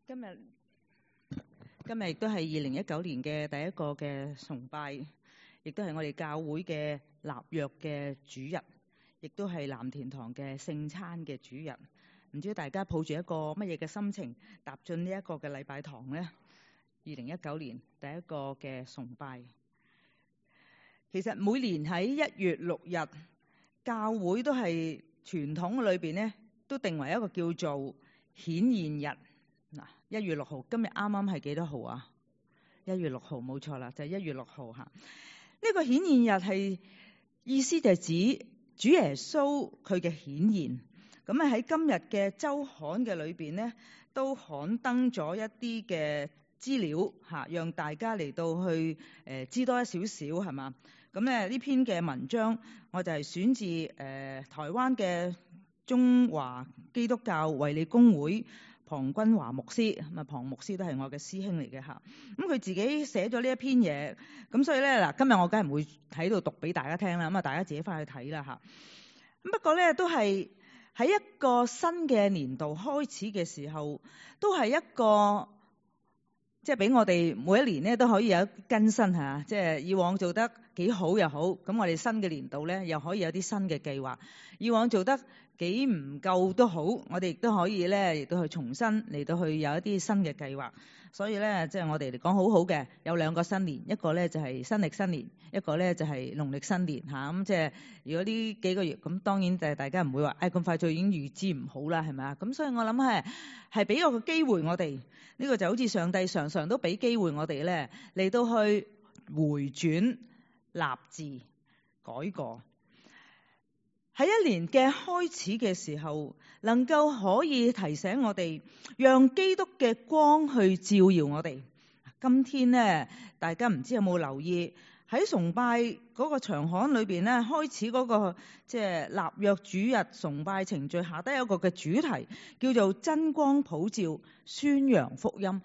今日亦都係2019年嘅第一個嘅崇拜，亦都係我哋教會嘅立約嘅主日，亦都係藍田堂嘅聖餐嘅主日。唔知大家抱住一個乜嘢嘅心情踏進呢一個嘅禮拜堂呢？2019年第一個嘅崇拜，其實每年喺1月6日，教會都係傳統裏邊呢，都定為一個叫做顯現日。嗱，1月6號，今日啱啱係幾多號啊？1月6號，冇錯啦，就係1月6號嚇。呢個顯現日係意思就係指主耶穌佢嘅顯現。咁啊喺今日嘅週刊嘅裏邊呢，都刊登咗一啲嘅資料嚇，讓大家嚟到去知多一少少係嘛？咁咧呢篇嘅文章，我就係選自台灣嘅中華基督教衛理公會龐君華牧師，咁啊龐牧師都係我嘅師兄嚟嘅嚇。咁佢自己寫咗呢一篇嘢，咁所以咧嗱，今日我梗係唔會喺度讀俾大家聽啦，咁啊大家自己翻去睇啦嚇。咁不過咧都係喺一個新嘅年度開始嘅時候，都係一個即係俾我哋每一年咧都可以有更新嚇，即係以往做得幾好又好，咁我哋新嘅年度咧又可以有啲新嘅計劃。以往做得幾唔夠都好，我哋亦都可以咧亦都去重新嚟到去有一啲新嘅計劃。所以咧即係我哋嚟講好好嘅，有2個新年，一個咧就係新曆新年，一個咧就係農曆新年嚇。咁即係如果呢幾個月，咁當然就係大家唔會話咁快就已經預知唔好啦，係咪啊？咁所以我諗係俾個機會我哋，呢個就好似上帝常常都俾機會我哋咧嚟到去回轉、立志、改過。喺一年嘅開始嘅時候，能夠可以提醒我哋，讓基督嘅光去照耀我哋。今天呢，大家唔知有冇留意喺崇拜嗰個場刊裏邊呢，開始嗰個即係立約主日崇拜程序下低有一個嘅主題，叫做真光普照，宣揚福音。呢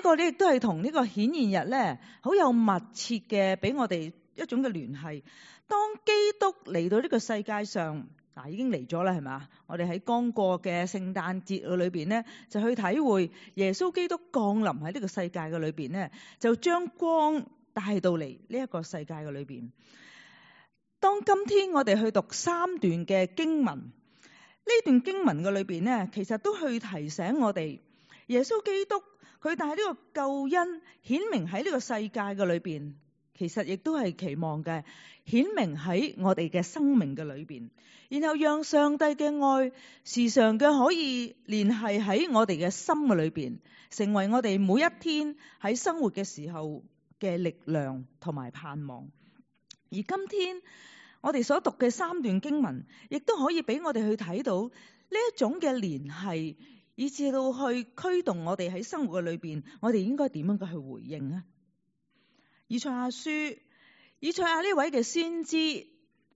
個呢亦都係同呢個顯現日呢好有密切嘅俾我哋一種嘅聯繫。當基督嚟到呢個世界上，已經嚟咗啦，係嘛？我哋喺剛過嘅聖誕節裏邊呢，就去體會耶穌基督降臨喺呢個世界嘅裏邊呢，就將光帶到嚟呢一個世界嘅裏邊。當今天我哋去讀3段嘅經文，呢段經文嘅裏邊呢，其實都去提醒我哋，耶穌基督佢帶呢個救恩顯明喺呢個世界嘅裏邊。其實亦都係期望嘅顯明喺我哋嘅生命嘅裏邊，然後讓上帝嘅愛時常嘅可以聯繫喺我哋嘅心嘅裏邊，成為我哋每一天喺生活嘅時候嘅力量同埋盼望。而今天我哋所讀嘅3段經文，亦都可以俾我哋去睇到呢一種嘅聯繫，以至到去驅動我哋喺生活嘅裏邊，我哋應該點樣去回應啊？以賽亞書，以賽亞呢位嘅先知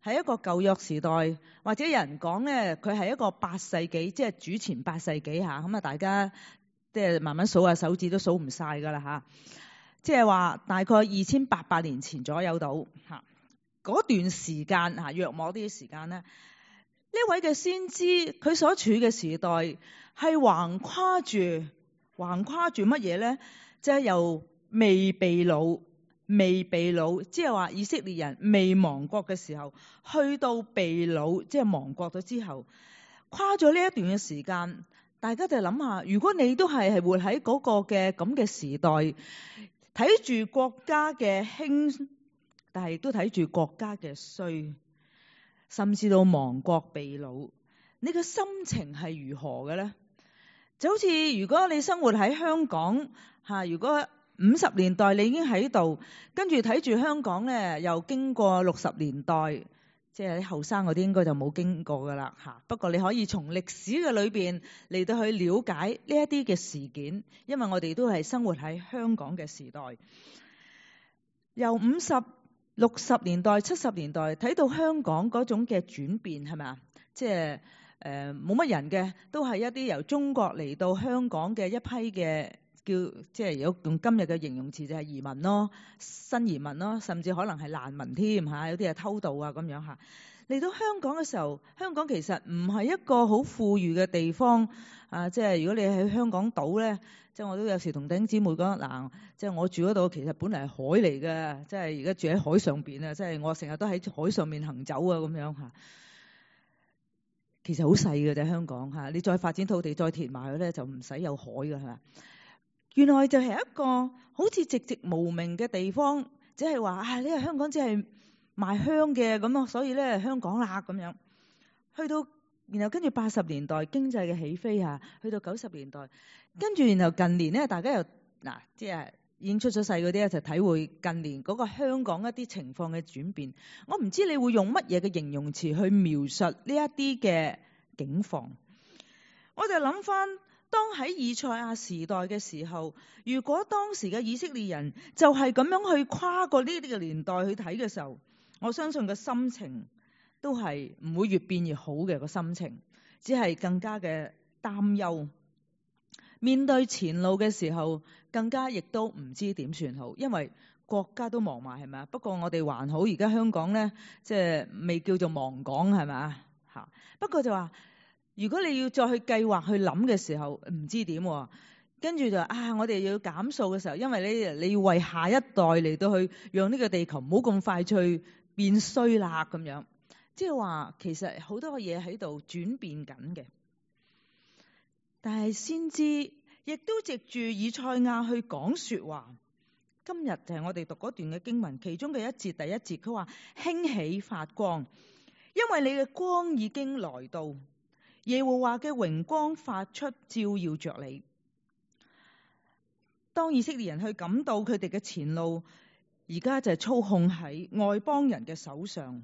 係一個舊約時代，或者有人講咧，佢係一個8世紀，即係主前8世紀嚇。咁啊，大家即係慢慢數下手指都數唔晒噶啦嚇。即係話大概2800年前左右到嚇嗰段時間嚇，約摸啲時間咧，呢位嘅先知佢所處嘅時代係橫跨住乜嘢咧？即係由未被擄，即係話以色列人未亡國嘅時候，去到被擄，即係亡國咗之後，跨咗呢一段嘅時間，大家就諗下，如果你都係活喺嗰個嘅咁嘅時代，睇住國家嘅興，但係都睇住國家嘅衰，甚至到亡國被擄，你嘅心情係如何嘅咧？就好似如果你生活喺香港嚇，如果50年代你已經喺度，跟住睇住香港咧，又經過60年代，即係啲後生嗰啲應該就冇經過噶啦嚇。不過你可以從歷史嘅裏邊嚟到去了解呢一啲嘅事件，因為我哋都係生活喺香港嘅時代。由50、60年代、70年代睇到香港嗰種嘅轉變係咪啊？即係冇乜人嘅，都係一啲由中國嚟到香港嘅一批嘅。即係有用今日嘅形容詞就係移民咯，新移民咯，甚至可能係難民添嚇，有啲係偷渡啊咁樣嚇。嚟到香港嘅時候，香港其實唔係一個好富裕嘅地方啊！即係如果你喺香港島咧，即係我都有時同弟兄姊妹講嗱，即係我住嗰度其實本嚟係海嚟嘅，即係而家住喺海上邊啊！即係我成日都喺海上面行走啊咁樣嚇。其實好細嘅啫，香港嚇，你再發展土地再填埋佢咧，就唔使有海㗎係嘛？原來就係一個好似寂寂無名嘅地方，只係話啊，呢個香港只係賣香嘅咁咯，所以咧香港啦咁樣。去到然後跟住80年代經濟嘅起飛嚇，去到90年代，跟住然後近年咧，大家又嗱即係已經出咗世嗰啲咧，就體會近年嗰個香港一啲情況嘅轉變。我唔知你會用乜嘢嘅形容詞去描述呢一啲嘅境況。我就諗翻，當喺以賽亞時代嘅時候，如果當時嘅以色列人就係咁樣去跨過呢啲嘅年代去睇嘅時候，我相信個心情都係唔會越變越好嘅，個心情，只係更加嘅擔憂。面對前路嘅時候，更加亦都唔知點算好，因為國家都忙埋係咪啊？不過我哋還好，而家香港咧即係未叫做亡港係咪啊？嚇！不過就話，如果你要再去計劃去諗嘅時候，唔知點喎。跟住就我哋要減數嘅時候，因為你要為下一代嚟到去讓呢個地球唔好咁快脆變衰啦咁樣。即係話其實好多嘢喺度轉變緊嘅。但係先知亦都藉住以賽亞去講說話。今日就係我哋讀嗰段嘅經文，其中嘅一節第一節，佢話興起發光，因為你嘅光已經來到，耶和華嘅榮光發出，照耀着你。當以色列人去感到佢哋嘅前路而家就係操控喺外邦人嘅手上，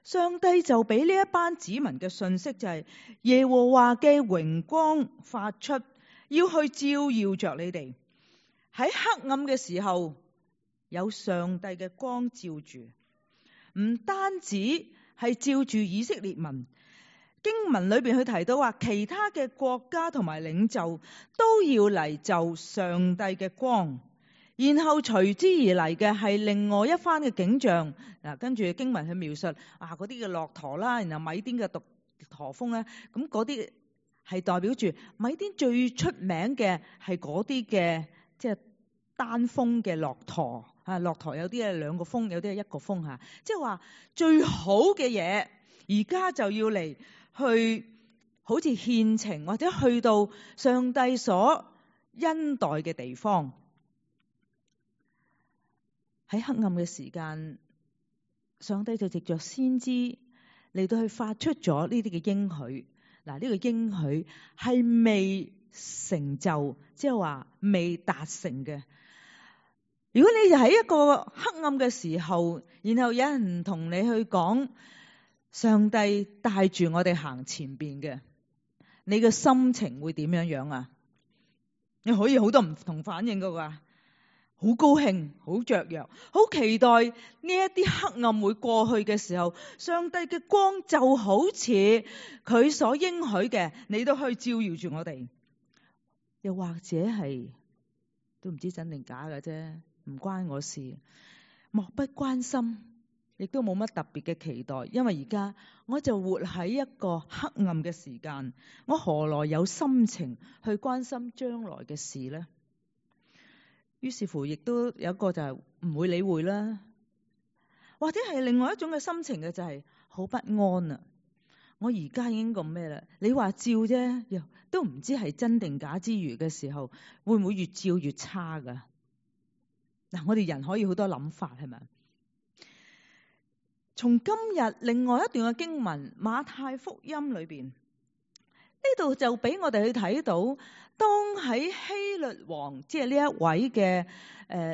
上帝就俾呢一班子民嘅信息，就係耶和華嘅榮光發出，要去照耀着你哋。喺黑暗嘅時候有上帝嘅光照住，唔單止係照住以色列民，經文裏邊去提到話其他嘅國家同埋領袖都要嚟就上帝嘅光，然後隨之而嚟嘅係另外一番嘅景象。跟住經文去描述嗰啲嘅駱駝啦，然後米甸嘅獨駝峰咧，咁嗰啲係代表住米甸最出名嘅係嗰啲嘅即係單峰嘅駱駝啊。駱駝有啲係兩個峰，有啲係一個峰嚇，即係話最好嘅嘢而家就要嚟去好似獻情，或者去到上帝所恩待嘅地方。喺黑暗嘅時間，上帝就藉着先知嚟到去發出咗呢啲嘅應許。嗱，呢個應許係未成就，即係話未達成嘅。如果你就喺一個黑暗嘅時候，然後有人同你去講上帝帶住我哋行前邊嘅，你嘅心情會點樣樣啊？你可以好多唔同反應噶喎。好高興，好雀躍，好期待呢一啲黑暗會過去嘅時候，上帝嘅光就好似佢所應許嘅，你都去照耀住我哋。又或者係都唔知真定假嘅啫，唔關我事，漠不關心，亦都冇乜特別嘅期待，因為而家我就活喺一個黑暗嘅時間，我何來有心情去關心將來嘅事呢？於是乎，亦都有一個就係唔會理會啦，或者係另外一種嘅心情嘅就係好不安啊！我而家已經咁咩啦？你話照啫，又都唔知係真定假之餘嘅時候，會唔會越照越差噶？嗱，我哋人可以好多諗法係咪？從今日另外一段嘅經文馬太福音裏邊，呢度就俾我哋去睇到，當喺希律王，即係呢一位嘅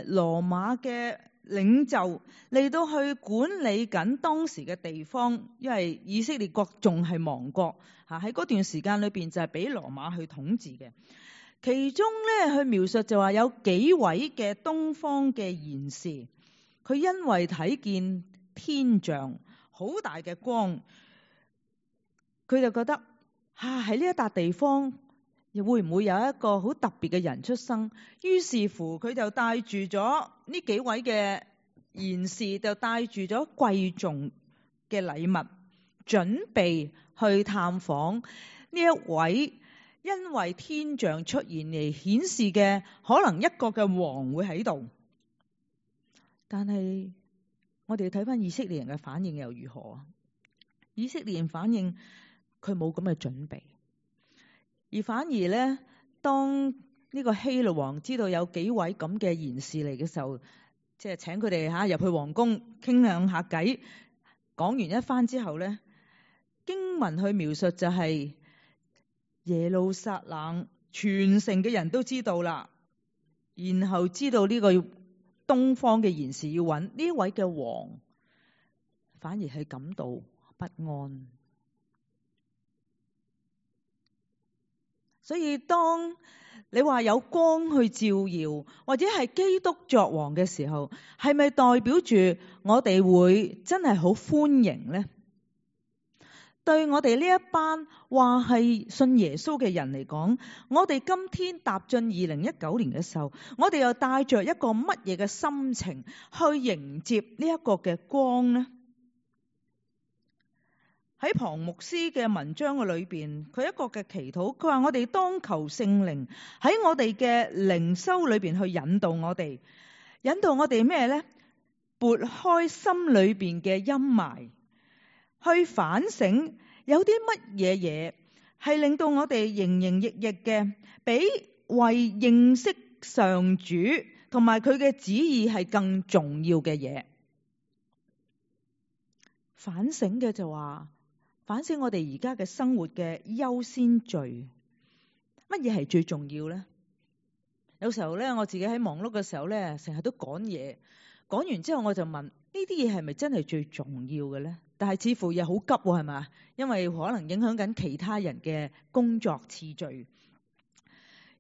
羅馬嘅領袖嚟到去管理緊當時嘅地方，因為以色列國仲係亡國嚇，喺嗰段時間裏邊就係俾羅馬去統治嘅。其中咧，去描述就話有幾位嘅東方嘅賢士，佢因為睇見天象好大嘅光，佢就覺得喺呢一笪地方又會唔會有一個好特別嘅人出生？於是乎佢就帶住咗呢幾位嘅賢士，就帶住咗貴重嘅禮物準備去探訪呢一位因為天象出現嚟顯示嘅可能一個嘅王會喺度。但係我哋睇翻以色列人嘅反應又如何啊？以色列人反應佢冇咁嘅準備，而反而咧，當呢個希律王知道有幾位咁嘅賢士嚟嘅時候，即係請佢哋入去皇宮傾兩下偈，講完一番之後咧，經文去描述就係耶路撒冷全城嘅人都知道啦，然後知道呢個東方嘅賢士要揾呢位嘅王，反而係感到不安。所以當你話有光去照耀，或者係基督作王嘅時候，係咪代表住我哋會真係好歡迎呢？對我哋呢一班話係信耶穌嘅人嚟講，我哋今天踏進2019年嘅時候，我哋又帶着一個乜嘢嘅心情去迎接呢一個嘅光呢？喺龐牧師嘅文章嘅裏邊，佢一個嘅祈禱，佢話我哋當求聖靈喺我哋嘅靈修裏邊去引導我哋，引導我哋咩呢？撥開心裏邊嘅陰霾，去反省有啲乜嘢嘢係令到我哋營營役役嘅，比為認識上主同埋佢嘅旨意係更重要嘅嘢。反省嘅就話，反省我哋而家嘅生活嘅優先序，乜嘢係最重要呢？有時候咧，我自己喺忙碌嘅時候咧，成日都趕嘢，趕完之後我就問：呢啲嘢係咪真係最重要嘅咧？但係似乎又好急喎，係咪？因為可能影響緊其他人嘅工作次序。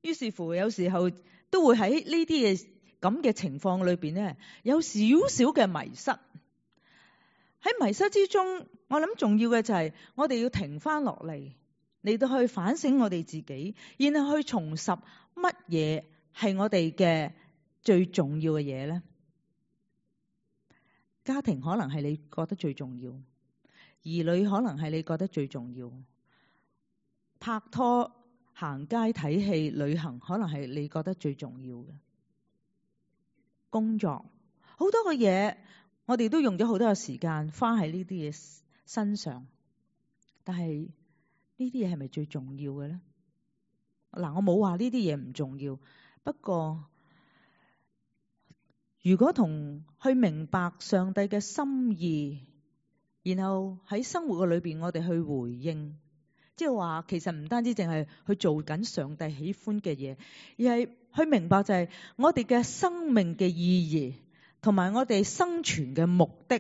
於是乎，有時候都會喺呢啲嘅咁嘅情況裏邊咧，有少少嘅迷失。喺迷失之中，我諗重要嘅就係我哋要停翻落嚟到去反省我哋自己，然後去重拾乜嘢係我哋嘅最重要嘅嘢呢？家庭可能係你覺得最重要，兒女可能係你覺得最重要，拍拖、行街、睇戲、旅行可能係你覺得最重要嘅，工作好多嘅嘢。我哋都用咗好多嘅時間花喺呢啲嘢身上，但係呢啲嘢係咪最重要嘅咧？嗱，我冇話呢啲嘢唔重要，不過如果同去明白上帝嘅心意，然後喺生活嘅裏邊我哋去回應，即係話其實唔單止淨係去做緊上帝喜歡嘅嘢，而係去明白就係我哋嘅生命嘅意義。同埋我哋生存嘅目的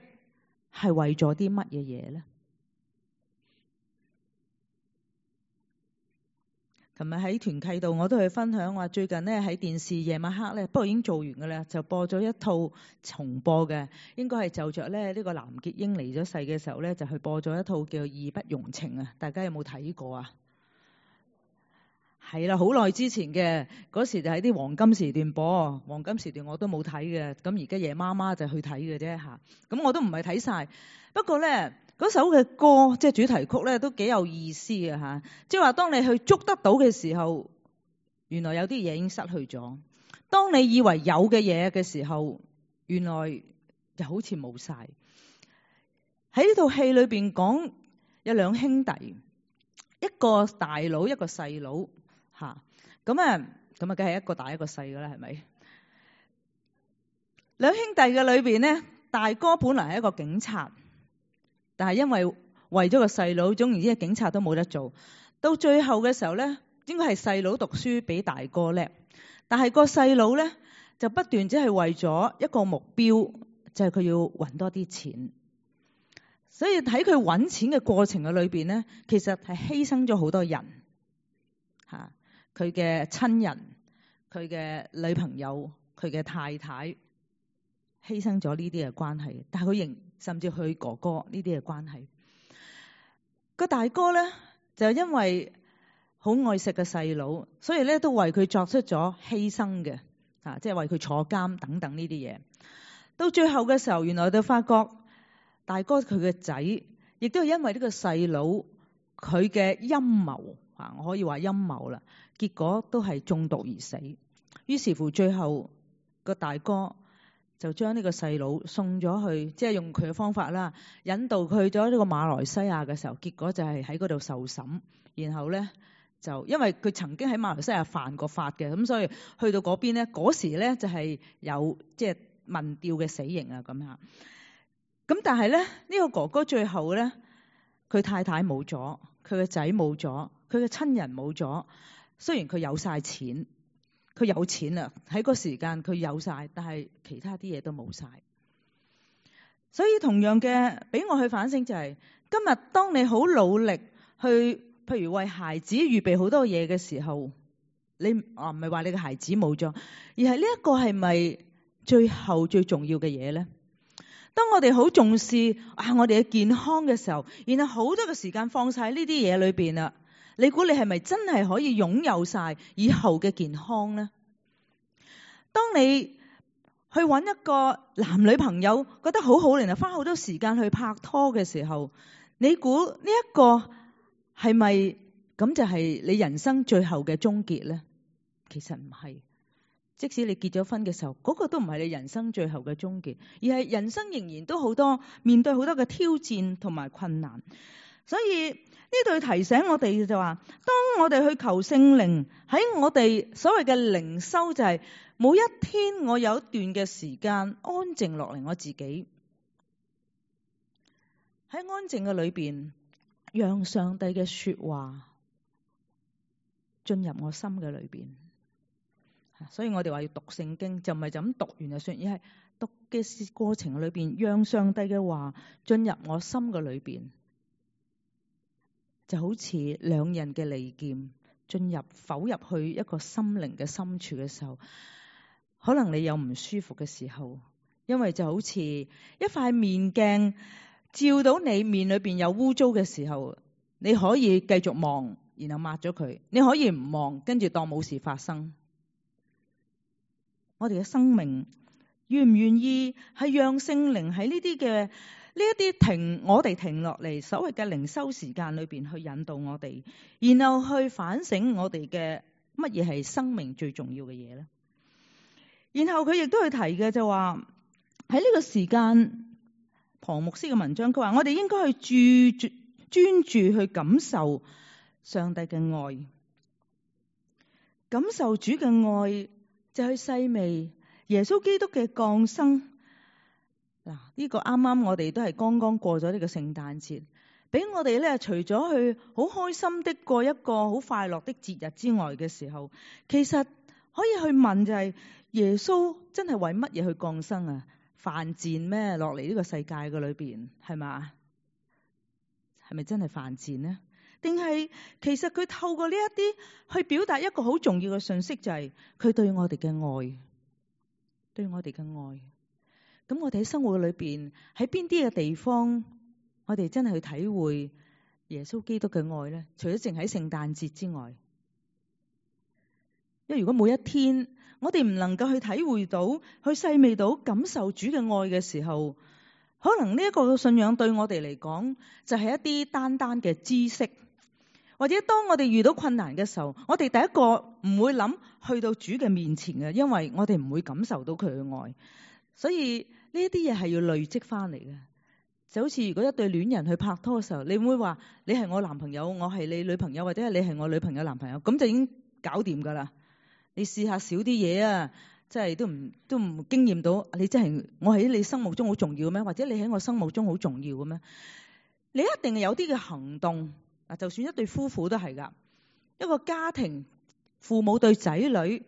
係為咗啲乜嘢嘢咧？琴日喺團契度我都去分享話，最近咧喺電視夜晚黑咧，不過已經做完㗎啦，就播咗一套重播嘅，應該係就着咧呢個藍潔瑛離咗世嘅時候咧，就去播咗一套叫《義不容情》啊！大家有冇睇過啊？係啦，好耐之前嘅，嗰時就喺啲黃金時段播，黃金時段我都冇睇嘅，咁而家夜媽媽就去睇嘅啫嚇，咁我都唔係睇晒。不過咧，嗰首嘅歌即係主題曲咧都幾有意思嘅嚇，即係話當你去捉得到嘅時候，原來有啲嘢已經失去咗；當你以為有嘅嘢嘅時候，原來就好似冇晒。喺呢套戲裏邊講有兩兄弟，一個大佬一個細佬。咁啊，梗係一個大一個細噶啦，係咪？兩兄弟嘅裏邊呢，大哥本來係一個警察，但係因為為咗個細佬，總言之，警察都冇得做。到最後嘅時候呢，應該係細佬讀書比大哥叻，但係個細佬呢，就不斷只係為咗一個目標，就係佢要搵多啲錢。所以喺佢搵錢嘅過程嘅裏邊呢，其實係犧牲咗好多人。佢嘅親人、佢嘅女朋友、佢嘅太太，犧牲咗呢啲嘅關係，但係佢甚至佢哥哥呢啲嘅關係。個大哥咧就因為好愛錫個細佬，所以咧都為佢作出咗犧牲嘅，即係為佢坐監等等呢啲嘢。到最後嘅時候，原來就發覺大哥佢嘅仔亦亦都係因為呢個細佬佢嘅陰謀啊，我可以話陰謀啦，結果都係中毒而死。於是乎最後個大哥就將呢個細佬送咗去，即係用佢嘅方法啦，引導佢去咗呢個馬來西亞嘅時候，結果就係喺嗰度受審。然後咧就因為佢曾經喺馬來西亞犯過法嘅，咁所以去到嗰邊咧，嗰時咧就係有即係民調嘅死刑啊咁樣。咁但係咧呢個哥哥最後咧，佢太太冇咗，佢嘅仔冇咗，佢嘅親人冇咗。雖然佢有晒錢，佢有錢啦，喺嗰時間佢有晒，但係其他啲嘢都冇晒。所以同樣嘅，俾我去反省就係，今日當你好努力去，譬如為孩子預備好多嘢嘅時候，你唔係話你嘅孩子冇咗，而係呢一個係咪最後最重要嘅嘢咧？當我哋好重視我哋嘅健康嘅時候，然後好多嘅時間放晒呢啲嘢裏邊啦，你估你係咪真係可以擁有晒以後嘅健康呢？當你去揾一個男女朋友覺得好好，然後花好多時間去拍拖嘅時候，你估呢一個係咪咁就係你人生最後嘅終結呢？其實唔係。即使你結咗婚嘅時候，嗰個都唔係你人生最後嘅終結，而係人生仍然都好多面對好多嘅挑戰同埋困難。所以呢度提醒我哋就話，當我哋去求聖靈喺我哋所謂嘅靈修，就係每一天我有一段嘅時間安靜落嚟，我自己喺安靜嘅裏邊，讓上帝嘅說話進入我心嘅裏邊。所以我哋話要讀聖經，就唔係就咁讀完就算，而係讀嘅過程裏邊，讓上帝嘅話進入我心嘅裏邊，就好似兩刃嘅利劍剖入去一個心靈嘅深處嘅時候，可能你有唔舒服嘅時候，因為就好似一塊面鏡照到你面裏邊有污糟嘅時候，你可以繼續望，然後抹咗佢，你可以唔望，跟住當冇事發生。我哋嘅生命願唔願意係讓聖靈喺呢啲嘅呢一啲我哋停落嚟所謂嘅靈修時間裏邊去引導我哋，然後去反省我哋嘅乜嘢係生命最重要嘅嘢咧？然後佢亦都去提嘅就話喺呢個時間，龐牧師嘅文章佢話我哋應該去專注去感受上帝嘅愛，感受主嘅愛。就去細味耶穌基督嘅降生。嗱，呢個啱啱我哋都係剛剛過咗呢個聖誕節，俾我哋咧除咗去好開心的過一個好快樂的節日之外嘅時候，其實可以去問就係耶穌真係為乜嘢去降生啊？犯賤咩？落嚟呢個世界嘅裏邊係嘛？係咪真係犯賤呢？定係其實佢透過呢一啲去表達一個好重要嘅信息，就係佢對我哋嘅愛，對我哋嘅愛。咁我哋喺生活裏邊，喺邊啲嘅地方，我哋真係去體會耶穌基督嘅愛咧？除咗淨喺聖誕節之外，因為如果每一天我哋唔能夠去體會到、去細味到、感受主嘅愛嘅時候，可能呢一個信仰對我哋嚟講，就係一啲單單嘅知識。或者當我哋遇到困難嘅時候，我哋第一個唔會諗去到主嘅面前嘅，因為我哋唔會感受到佢嘅愛。所以呢一啲嘢係要累積翻嚟嘅。就好似如果一對戀人去拍拖嘅時候，你唔會話你係我男朋友，我係你女朋友，或者係你係我女朋友男朋友，咁就已經搞掂噶啦。你試下少啲嘢啊，即係都唔經驗到你真係我喺你心目中好重要咩？或者你喺我心目中好重要嘅咩？你一定係有啲嘅行動。嗱，就算一對夫婦都係噶，一個家庭父母對仔女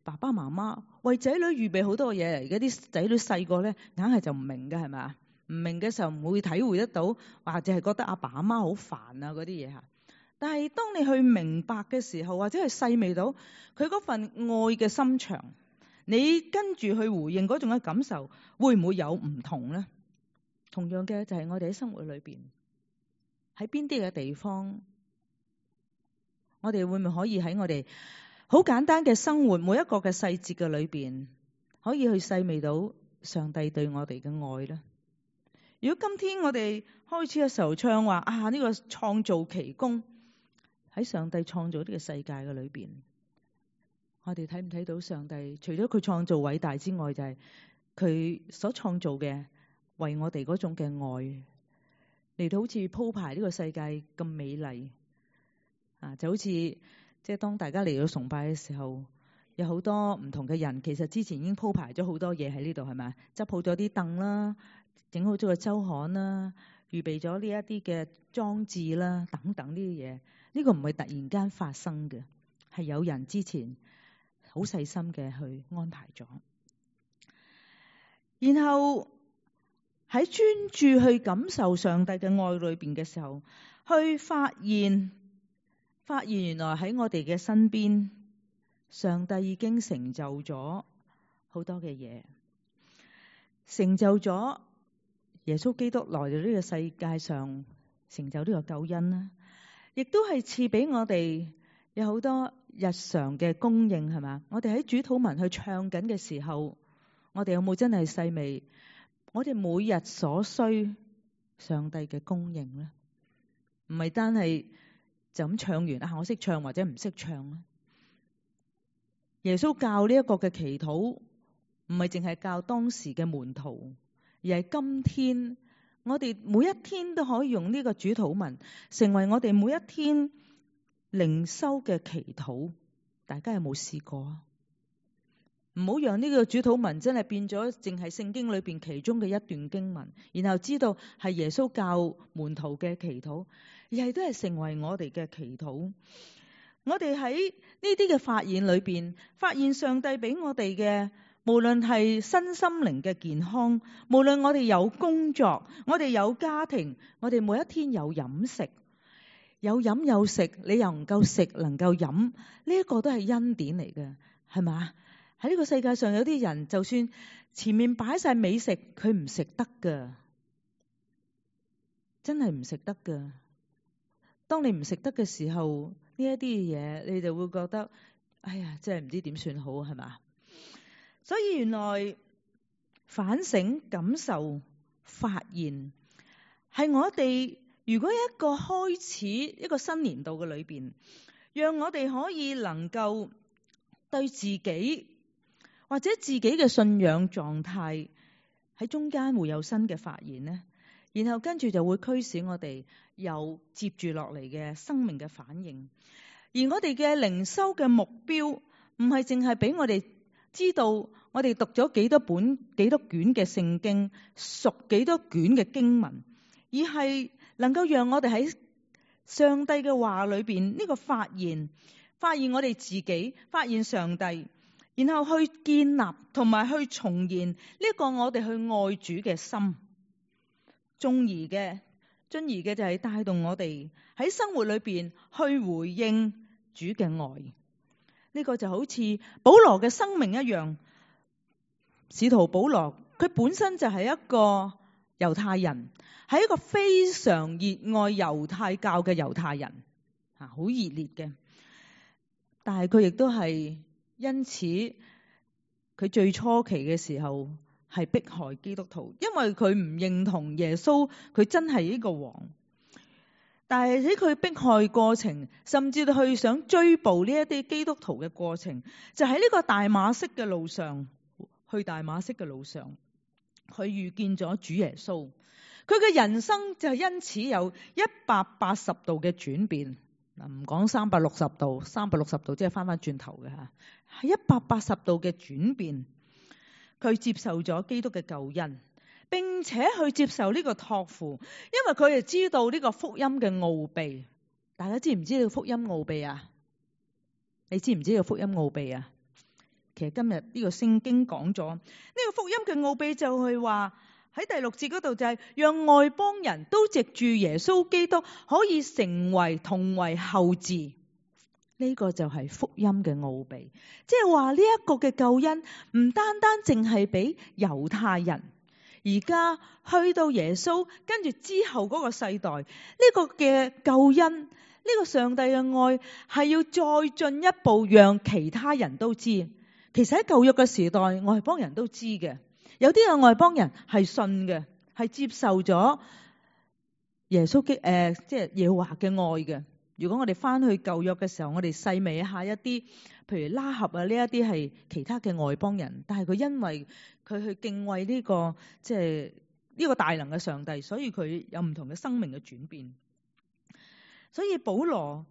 爸爸媽媽為仔女預備好多嘢嚟，而家啲仔女細個咧，硬係就唔明嘅係咪？唔明嘅時候唔會體會得到，或者係覺得阿爸阿媽好煩啊嗰啲嘢嚇。但係當你去明白嘅時候，或者係細味到佢嗰份愛嘅心腸，你跟住去回應嗰種嘅感受，會唔會有唔同咧？同樣嘅就係我哋喺生活裏邊。喺邊啲嘅地方，我哋會唔會可以喺我哋好簡單嘅生活每一個嘅細節嘅裏邊，可以去細味到上帝對我哋嘅愛呢？如果今天我哋開始嘅時候唱話呢個創造奇功，喺上帝創造呢個世界嘅裏邊，我哋睇唔睇到上帝除咗佢創造偉大之外，就係佢所創造嘅為我哋嗰種嘅愛嚟到好似鋪排呢個世界咁美麗就好似即係當大家嚟到崇拜嘅時候，有好多唔同嘅人，其實之前已經鋪排咗好多嘢喺呢度，係咪？執好咗啲凳啦，整好咗個周刊啦，預備咗呢一啲嘅裝置啦，等等呢啲嘢。呢個唔係突然間發生嘅，係有人之前好細心嘅去安排咗。然後喺專注去感受上帝嘅愛裏邊嘅時候，去發現原來喺我哋嘅身邊，上帝已經成就咗好多嘅嘢，成就咗耶穌基督來到呢個世界上，成就呢個救恩啦，亦都係賜俾我哋有好多日常嘅供應，係嘛？我哋喺主禱文去唱緊嘅時候，我哋有冇真係細味我哋每日所需上帝嘅供應呢？唔係單係就咁唱完我識唱或者唔識唱咧。耶穌教呢一個嘅祈禱，唔係淨係教當時嘅門徒，而係今天我哋每一天都可以用呢個主禱文，成為我哋每一天靈修嘅祈禱。大家有冇試過啊？唔好讓呢個主禱文真係變咗淨係聖經裏邊其中嘅一段經文，然後知道係耶穌教門徒嘅祈禱，而係都係成為我哋嘅祈禱。我哋喺呢啲嘅發現裏邊，發現上帝俾我哋嘅，無論係身心靈嘅健康，無論我哋有工作，我哋有家庭，我哋每一天有飲食，有飲有食，你又能夠食能夠飲，呢一個都係恩典嚟嘅，係嘛？喺呢個世界上有啲人，就算前面擺晒美食，佢唔食得噶，真係唔食得噶。當你唔食得嘅時候，呢一啲嘢你就會覺得，哎呀，真係唔知點算好，係嘛？所以原來反省、感受、發現，係我哋如果一個開始一個新年度嘅裏邊，讓我哋可以能夠對自己或者自己嘅信仰狀態喺中間會有新嘅發現呢，然後跟住就會驅使我哋有接住落嚟嘅生命嘅反應。而我哋嘅靈修嘅目標唔係淨係俾我哋知道我哋讀咗幾多本幾多卷嘅聖經，熟幾多卷嘅經文，而係能夠讓我哋喺上帝嘅話裏邊呢個發現我哋自己，發現上帝，然後去建立同埋去重現呢個我哋去愛主嘅心。進而嘅就係帶動我哋喺生活裏邊去回應主嘅愛。呢個就好似保羅嘅生命一樣，使徒保羅佢本身就係一個猶太人，係一個非常熱愛猶太教嘅猶太人，好熱烈嘅。但係佢亦都係因此，佢最初期嘅時候係迫害基督徒，因為佢唔認同耶穌，佢真係呢個王。但係喺佢迫害過程，甚至去想追捕呢一啲基督徒嘅過程，就喺呢個大馬色嘅路上，去大馬色嘅路上，佢遇見咗主耶穌。佢嘅人生就因此有180度嘅轉變。嗱，唔講360度，360度即係翻轉頭嘅吓，係180度嘅轉變。佢接受咗基督嘅救恩，並且去接受呢個託付，因為佢哋知道呢個福音嘅奧秘。大家知唔知道福音奧秘啊？你知唔知道福音奧秘啊？其實今日呢個聖經講咗呢個福音嘅奧秘，就係話喺第6節嗰度就係讓外邦人都藉住耶穌基督可以成為同為後嗣。呢個就係福音嘅奧秘，即係話呢一個嘅救恩唔單單淨係俾猶太人，而家去到耶穌跟住之後嗰個世代，呢個嘅救恩，呢個上帝嘅愛係要再進一步讓其他人都知。其實喺舊約嘅時代，外邦人都知嘅，有啲嘅外邦人係信嘅，係接受咗耶穌即係耶和華嘅愛嘅。如果我哋翻去舊約嘅時候，我哋細味一下一啲，譬如拉合啊，呢一啲係其他嘅外邦人，但係佢因為佢去敬畏呢個即係呢個大能嘅上帝，所以佢有唔同嘅生命嘅轉變。所以保羅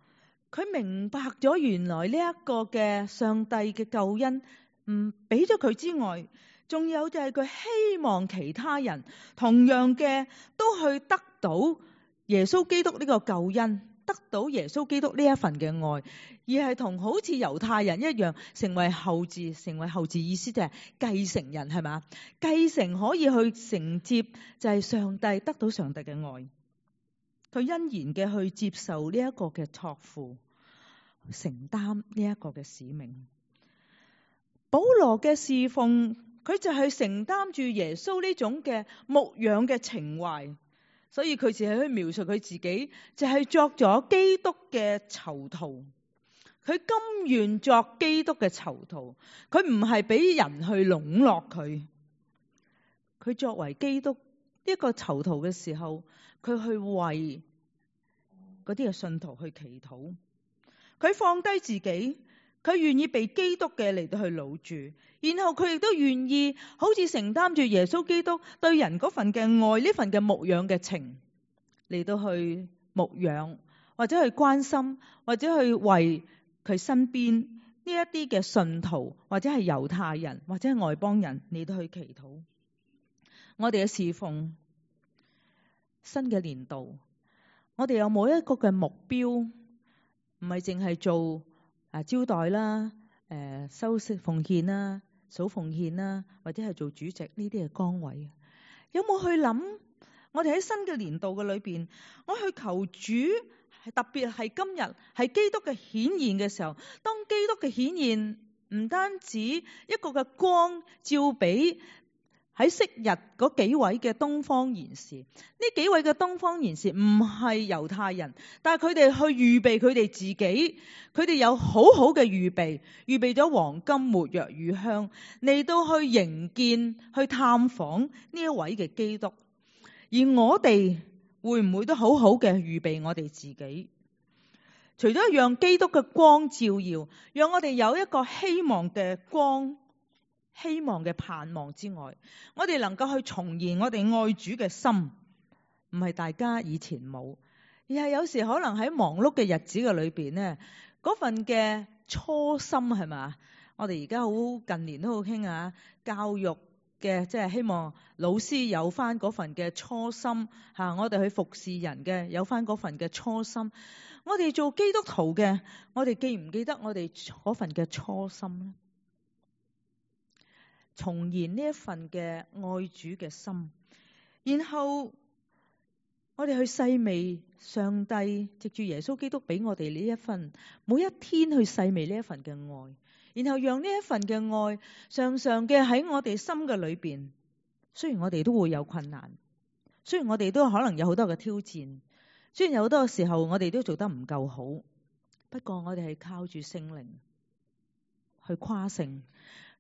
佢明白咗原來呢一個嘅上帝嘅救恩，俾咗佢之外，仲有就係佢希望其他人同樣嘅都去得到耶穌基督呢個救恩，得到耶穌基督呢一份嘅愛，而係同好似猶太人一樣成為後嗣。成為後嗣意思就係繼承人，係嘛？繼承可以去承接就係上帝，得到上帝嘅愛。佢欣然嘅去接受呢一個嘅託付，承擔呢一個嘅使命。保羅嘅侍奉，佢就係承擔住耶穌呢種嘅牧養嘅情懷，所以佢只係去描述佢自己就係作咗基督嘅囚徒。佢甘願作基督嘅囚徒，佢唔係俾人去籠絡佢。佢作為基督一個囚徒嘅時候，佢去為嗰啲嘅信徒去祈禱，佢放低自己，佢願意被基督嘅嚟到去擄住，然後佢亦都願意好似承擔住耶穌基督對人嗰份嘅愛，呢份嘅牧養嘅情嚟到去牧養，或者去關心，或者去為佢身邊呢一啲嘅信徒，或者係猶太人，或者係外邦人嚟到去祈禱。我哋嘅侍奉新嘅年度，我哋有冇一個嘅目標？唔係淨係做招待啦、收息奉獻啦、數奉獻啦，或者係做主席呢啲嘅崗位。有冇去諗？我哋喺新嘅年度嘅裏邊，我去求主，特別係今日係基督嘅顯現嘅時候，當基督嘅顯現唔單止一個嘅光照俾喺昔日嗰幾位嘅東方賢士，呢幾位嘅東方賢士唔係猶太人，但係佢哋去預備佢哋自己，佢哋有好好嘅預備咗黃金、沒藥、乳香嚟到去迎見、去探訪呢一位嘅基督。而我哋會唔會都好好嘅預備我哋自己？除咗讓基督嘅光照耀，讓我哋有一個希望嘅光、希望嘅盼望之外，我哋能夠去重現我哋愛主嘅心，唔係大家以前冇，而係有時可能喺忙碌嘅日子嘅裏邊呢，嗰份嘅初心係嘛？我哋而家好近年都好興教育嘅，即係希望老師有翻嗰份嘅初心吓，我哋去服侍人嘅有翻嗰份嘅初心。我哋做基督徒嘅，我哋記唔記得我哋嗰份嘅初心呢？重現呢一份嘅愛主嘅心，然後我哋去細味上帝藉住耶穌基督俾我哋呢一份，每一天去細味呢一份嘅愛，然後讓呢一份嘅愛常常嘅喺我哋心嘅裏邊。雖然我哋都會有困難，雖然我哋都可能有好多嘅挑戰，雖然有好多時候我哋都做得唔夠好，不過我哋係靠住聖靈去誇勝。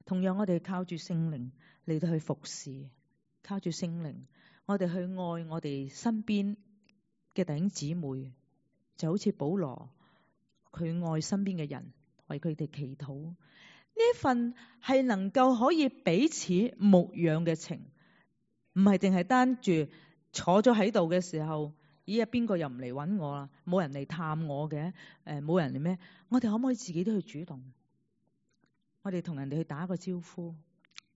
同樣我哋靠住聖靈嚟到去服侍，靠住聖靈我哋去愛我哋身邊嘅弟兄姊妹，就好似保羅佢愛身邊嘅人，為佢哋祈禱。呢一份係能夠可以彼此牧養嘅情，唔係淨係單住坐咗喺度嘅時候，咦啊邊個又唔嚟搵我啦？冇人嚟探我嘅，冇人嚟咩？我哋可唔可以自己都去主動？我哋同人哋去打個招呼，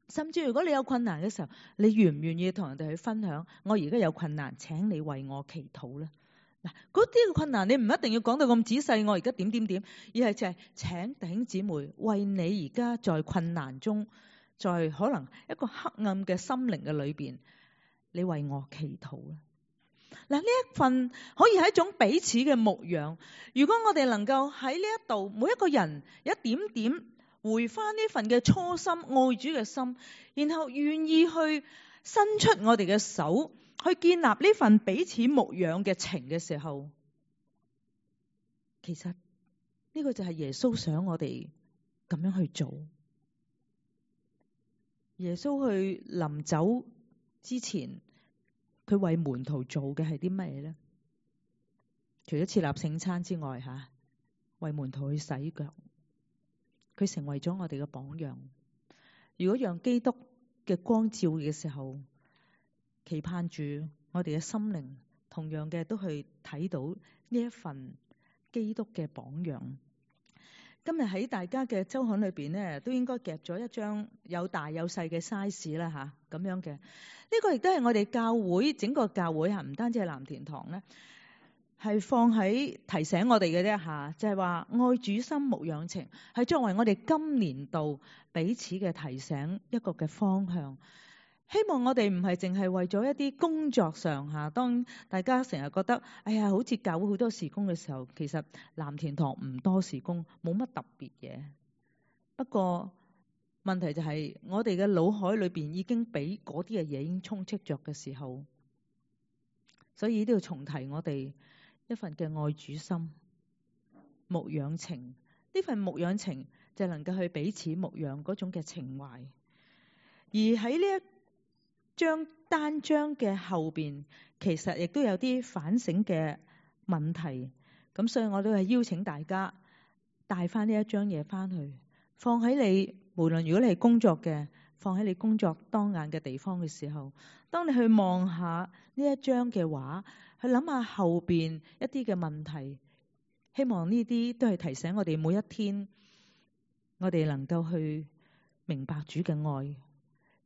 甚至如果你有困難嘅時候，你願唔願意同人哋去分享？我而家有困難，請你為我祈禱啦。嗱，嗰啲嘅困難你唔一定要講到咁仔細，我而家點點點，而係就係請弟兄姊妹為你而家在困難中，在可能一個黑暗嘅心靈嘅裏邊，你為我祈禱啦。嗱，呢一份可以係一種彼此嘅牧養。如果我哋能夠喺呢一度，每一個人一點點回翻呢份嘅初心，愛主嘅心，然後願意去伸出我哋嘅手，去建立呢份彼此牧養嘅情嘅時候，其實呢個就係耶穌想我哋咁樣去做。耶穌去臨走之前，佢為門徒做嘅係啲乜嘢呢？除咗設立聖餐之外，為門徒去洗腳，佢成為咗我哋嘅榜樣。如果讓基督嘅光照嘅時候，期盼住我哋嘅心靈同樣嘅都去睇到呢一份基督嘅榜樣。今日喺大家嘅周刊裏邊呢，都應該夾咗一張有大有細嘅 size 啦，咁樣嘅。呢個亦都係我哋教會整個教會唔單止係藍田堂咧，係放喺提醒我哋嘅啫，就係話愛主心牧養情，係作為我哋今年度彼此嘅提醒一個嘅方向。希望我哋唔係淨係為咗一啲工作上當大家成日覺得哎呀，好似教會好多事工嘅時候，其實藍田堂唔多事工，冇乜特別嘢。不過問題就係我哋嘅腦海裏邊已經俾嗰啲嘅嘢已經充斥着嘅時候，所以都要重提我哋一份嘅愛主心牧養情。呢份牧養情就能夠去彼此牧養嗰種嘅情懷。而喺呢一單章嘅後邊，其實亦都有啲反省嘅問題。咁所以我都係邀請大家帶翻呢一章嘢翻去，放喺你無論如果你係工作嘅，放喺你工作當眼嘅地方嘅時候，當你去望下呢一章嘅話，去諗下後邊一啲嘅問題，希望呢啲都係提醒我哋每一天，我哋能夠去明白主嘅愛，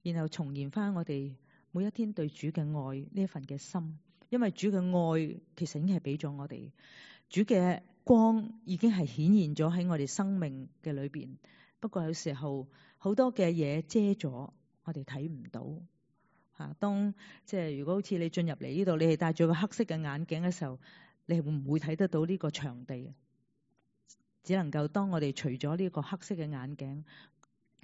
然後重現翻我哋每一天對主嘅愛呢一份嘅心。因為主嘅愛其實已經係俾咗我哋，主嘅光已經係顯現咗喺我哋生命嘅裏邊。不過有時候好多嘅嘢遮咗，我哋睇唔到。當即係如果好似你進入嚟呢度，你係戴住個黑色嘅眼鏡嘅時候，你會唔會睇得到呢個場地？只能夠當我哋除咗呢個黑色嘅眼鏡，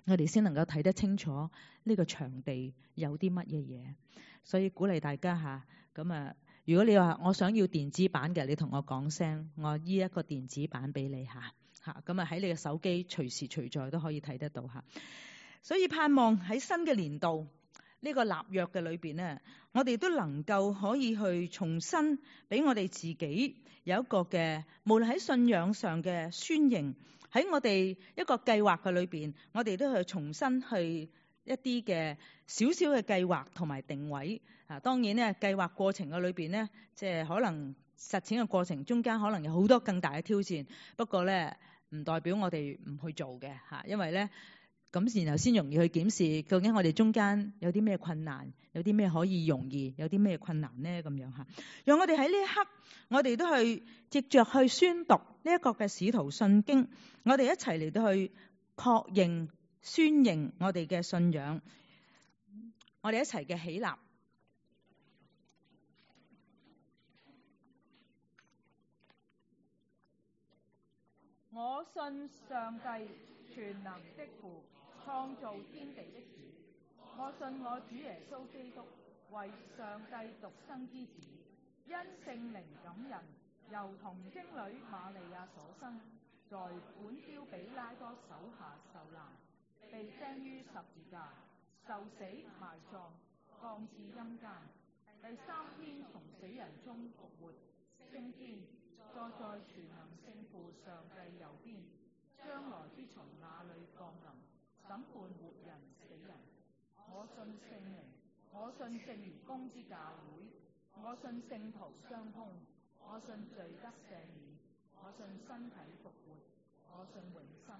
我哋先能夠睇得清楚呢個場地有啲乜嘢嘢。所以鼓勵大家咁如果你話我想要電子版嘅，你同我講聲，我依一個電子版俾你咁喺你嘅手機隨時隨在都可以睇得到所以盼望喺新嘅年度呢個立約嘅裏邊呢，我哋都能夠可以去重新俾我哋自己有一個嘅，無論喺信仰上嘅宣認，喺我哋一個計劃嘅裏邊，我哋都去重新去一啲嘅少少嘅計劃同埋定位。當然呢，計劃過程嘅裏邊呢，即係可能實踐嘅過程中間可能有好多更大嘅挑戰。不過呢，唔代表我哋唔去做嘅因為呢，咁然後先容易去檢視究竟我哋中間有啲咩困難，有啲咩可以容易，有啲咩困難呢咁樣讓我哋喺呢一刻，我哋都去藉着去宣讀呢一個嘅使徒信經，我哋一齊嚟到去確認宣認我哋嘅信仰，我哋一齊嘅起立。我信上帝全能的父，創造天地的主。我信我主耶穌基督為上帝獨生之子，因聖靈感人，由童貞女瑪利亞所生，在本丟彼拉多手下受難，被釘於十字架，受死埋葬，降至陰間，第三天從死人中復活，升天，坐在全能聖父上帝右邊，將來必從那裏降臨，審判活人死人。我信聖靈，我信聖而公之教會，我信聖徒相通，我信罪得赦免，我信身體復活，我信永生。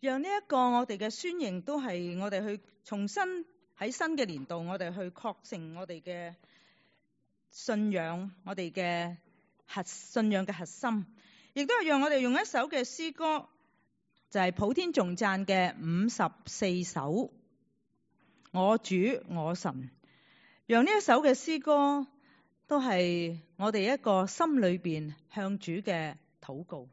讓呢一個我哋嘅宣認都係我哋去重新喺新嘅年度，我哋去確認我哋嘅信仰，我哋嘅信仰嘅核心，亦都係讓我哋用一首嘅詩歌，就係普天頌讚嘅54首我主我神，讓呢一首嘅詩歌都係我哋一個心裏邊向主嘅禱告。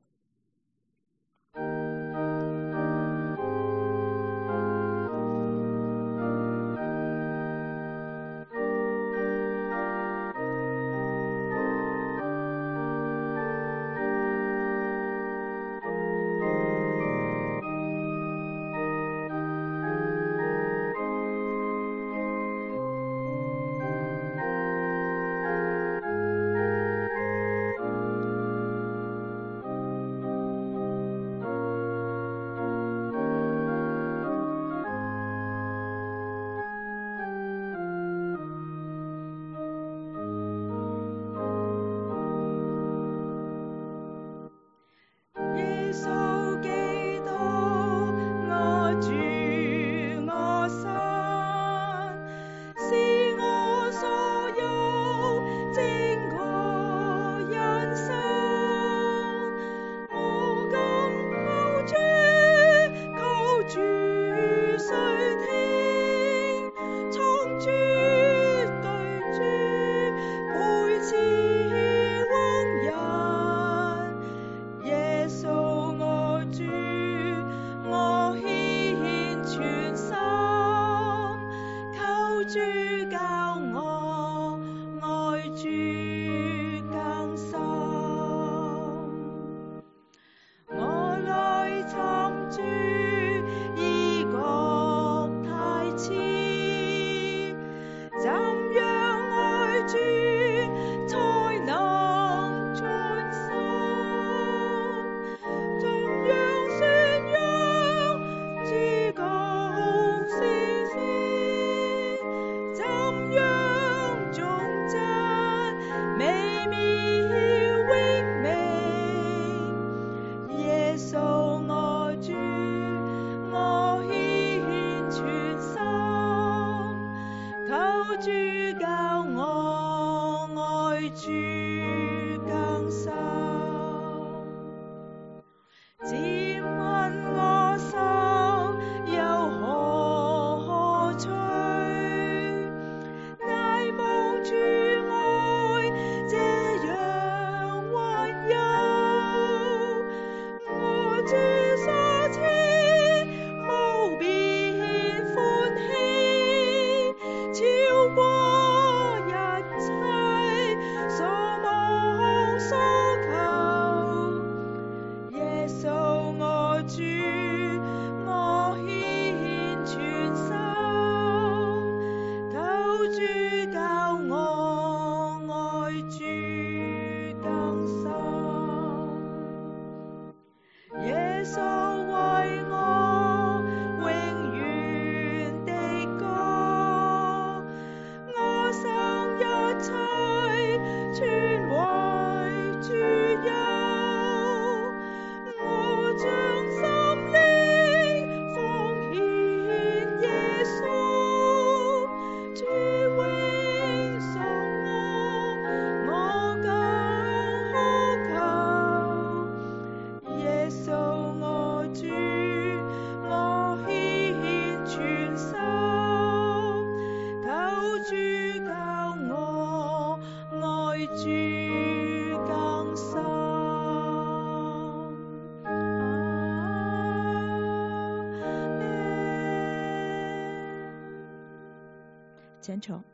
主更新。請坐。